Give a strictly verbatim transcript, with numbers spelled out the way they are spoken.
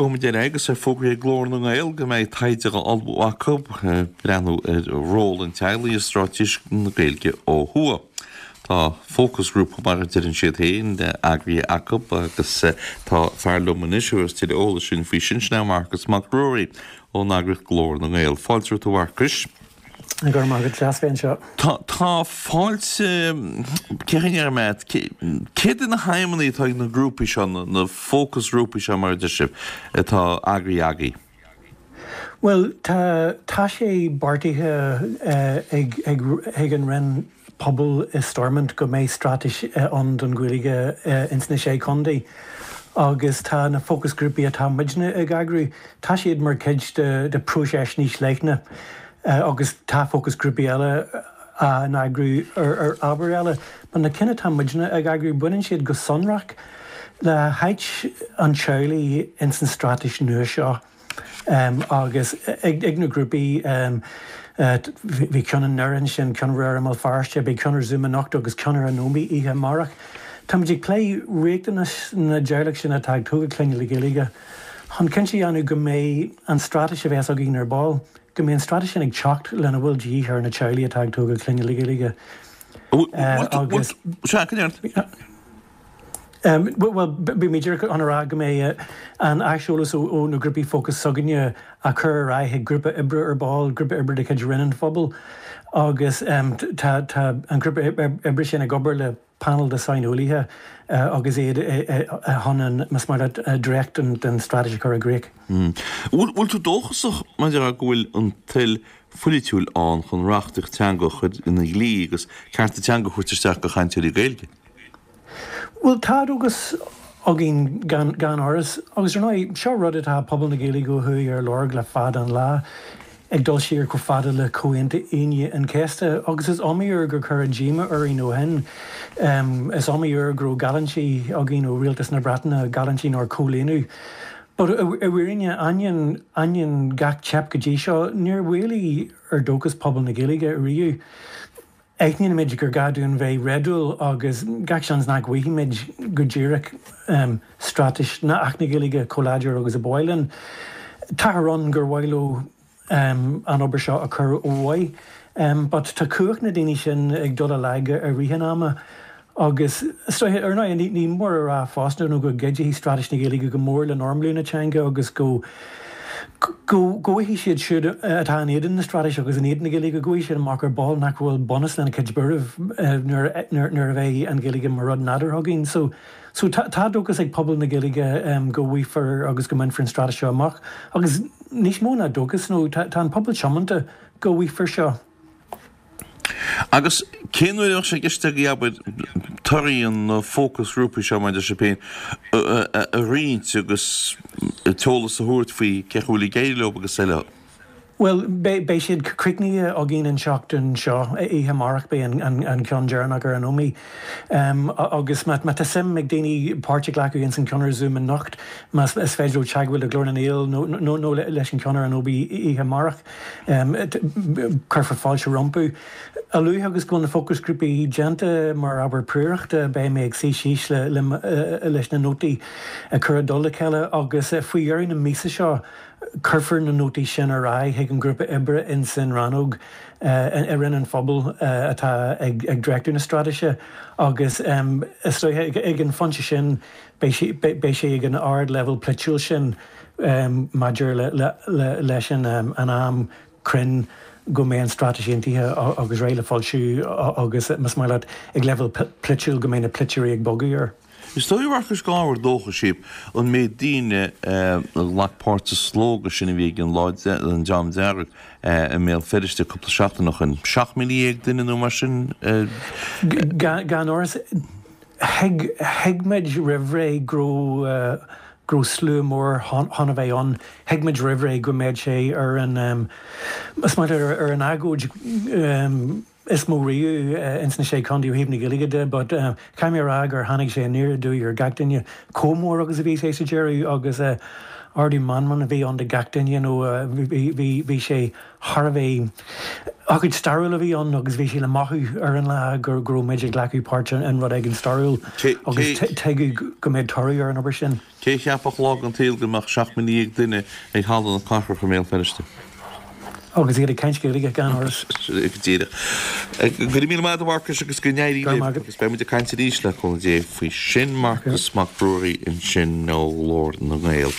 Gabhfaimid ar aghaidh agus é fógraithe ag Glór na nGael go mbeidh taighde á ullmhú acu ag breathnú ar ról an teaghlaigh i straitéis na Gaeilge ó thuaidh. Tá fócasghrúpa, mar a deireann siad féin, eagraithe acu agus tá fear liom anois a thabharfas tuilleadh eolais dúinn faoi sin, sin é Marcas Mac Ruairí ón eagraíocht Glór na nGael. Fáilte romhat a Mharcais. Go raibh maith agat, deas bheith anseo. Tá, tá fáilte, cé chaoi a ndéarfaidh mé, céard iad na haidhmeanna atá ag na grúpaí seo, na fócasghrúpaí seo mar a deir sibh, atá eagraithe agaibh? Bhuel, tá, tá sé beartaithe ag, ag, ag an Roinn Pobal i Stormont go mbeidh straitéis ann don Ghaeilge ins na Sé Chontae agus tá na fócasghrúpaí atá muidne ag eagrú, tá siad mar chuid de, de phróiseas níos leithne. Agus tá fócasghrúpaí eile á n-eagrú ar ábhair eile. But na cinn atá muidne ag eagrú, baineann siad go sonrach le háit an teaghlaigh ins an straitéis nua seo. Agus ag na grúpaí, bhí ceann i nDoire ansin, ceann i mBéal Feirste, beidh ceann ar Zoom anocht agus ceann ar an Ómaigh oíche amárach. Táimid ag plé riachtanais na dteaghlach sin atá ag tógáil clainne le Gaeilge chun cinnte a dhéanamh go mbeidh an straitéis a bheas againn ar ball, go mbeidh an straitéis sin ag teacht lena bhfuil de dhíth ar na teaghlaigh atá ag tógáil clainne le Gaeilge. Agus. Sea, go ndéarfaidh. Bhuel, bhí mé díreach chun a rá go mbeidh an aiseolas ó na grúpaí fócais s'againne á chur ar aghaidh chuig grúpa oibre ar ball, grúpa oibre de chuid Roinn an Phobail, agus tá an grúpa oibre sin ag obair le painéal de shaineolaithe agus iad chun an, más maith leat, dréacht den straitéis a chur i gcrích. Bhfuil tú dóchasach maidir le go bhfuil an toil pholaitiúil ann chun reachtaíocht teanga a chur ina dhlí agus cearta teanga a thabhairt isteach do chainteoirí Gaeilge? Bhuel, tá dóchas againn gan amhras. Agus ar ndóigh, seo rud atá pobal na Gaeilge ó thuaidh ar lorg le fada an lá, ag dul siar chomh fada le Comhaontú Aoine an Chéasta. Agus is iomaí uair gur cuireadh díomá orainn ó shin. Is iomaí uair go raibh geallúintí againn ó Rialtas na Breataine, geallúintí nár comhlíonadh. But i bhfírinne, ainneoin, ainneoin gach teip go dtí seo, níor mhaolaigh ar dóchas pobal na Gaeilge riamh. Aithnímid gur gá dúinn bheith réadúil agus gach seans nach bhfaighimid go díreach straitéis ná Acht na Gaeilge chomh láidir agus a ba mhaith linn. Táthar ann gur mhaith leo an obair seo a chur ó mhaith but tá cumhacht na daoine sin ag dul i lag i rith an ama agus is dóiche, ar ndóigh, ní mór a rá fosta nó go gcuideoidh straitéis na Gaeilge go mór le normalú na teanga agus go go bhfaighidh siad siúd atá in éadan na straitéise agus in éadan na Gaeilge, go bhfaighidh siad amach ar ball nach bhfuil bunús lena gcuid buairimh nuair a bheidh an Ghaeilge mar rud nádúrtha againn. So so tá tá dóchas ag pobal na Gaeilge go bhfaighfear agus go mbainfear an straitéis seo amach agus níos mó ná dóchas nó tá tá an pobal tiomanta go bhfaighfear seo. Agus cén uair a bheadh sé i gceist agaibh, abair, torthaí na bhfócasghrúpaí seo, mar a deir sibh féin, a roinnt agus t-eolas a thabhairt faoi cén chaoi a bhfuil ag éirí leo agus eile? Bhuel, beidh siad críochnaithe againn an tseachtain seo, oíche amárach beidh an ceann deireanach ar an Ómaigh. Agus má tá suim ag daoine páirt a ghlacadh ins an ceann ar Zoom anocht, más is féidir leo teagmháil le Glór na nGael nó leis an ceann ar an Ómaigh oíche amárach. Cuirfear fáilte rompu. A luaithe agus go bhfuil na fócasghrúpaí déanta mar obair príorachta, beidh mé ag suí síos leis na nótaí a chur i dtoll a chéile agus faoi dheireadh na míosa seo cuirfear na nótaí sin ar aghaidh chuig an ngrúpa oibre insan rannóg i Roinn an Phobail atá ag dréachtú na straitéise agus is dóiche ag an phointe sin beidh sé ag an ard-leibhéal polaitiúil sin. maidir leis an am cruinn go mbeidh an straitéis aontaithe agus réidh le foilsiú agus, más maith leat, ag leibhéal polaitiúil go mbeidh na polaiteoirí ag bogadh air. Is dóigh, a Mharcais, gur ábhar dóchais é an méid daoine a ghlac páirt sa slógadh sin a bhí ag an Lá an Dream Dearg i mBéal Feirste cúpla seachtain ó shin. Seacht míle dhéag duine nó mar sin? Gan amhras, thuig thuig muid roimhré go raibh go raibh slua mór chun a bheith ann. Thuig muid roimhré go mbeadh sé ar an, más maith leat, ar an agóid is mó riamh ins na Sé Chontae ó thaobh na Gaeilge de but caithfidh mé a rá gur tháinig sé aniar aduaidh ar gach duine chomh mór agus a bhí sé sa deireadh agus Ardú meanman a bhí ann do gach duine nó bhí bhí sé thar a bheith ócáid stairiúil a bhí ann agus bhí sé le mothú ar an lá go raibh muid ag glacadh páirt in rud éigin stairiúil agus tuigeadh go mbeadh toradh ar an obair sin. Cé a cheapfadh lá den tsaol go mbeadh seacht míle dhéag duine ag Halla na Cathrach i mBéal Feirste? Agus iad ag caint Gaeilge gan amhras. Go díreach. Go raibh míle maith agat a Mharcais agus go n-éirí libh agus beidh muid ag caint arís le cúnamh Dé faoi sin. Marcas Mac Ruairí ansin ó Ghlór na nGael.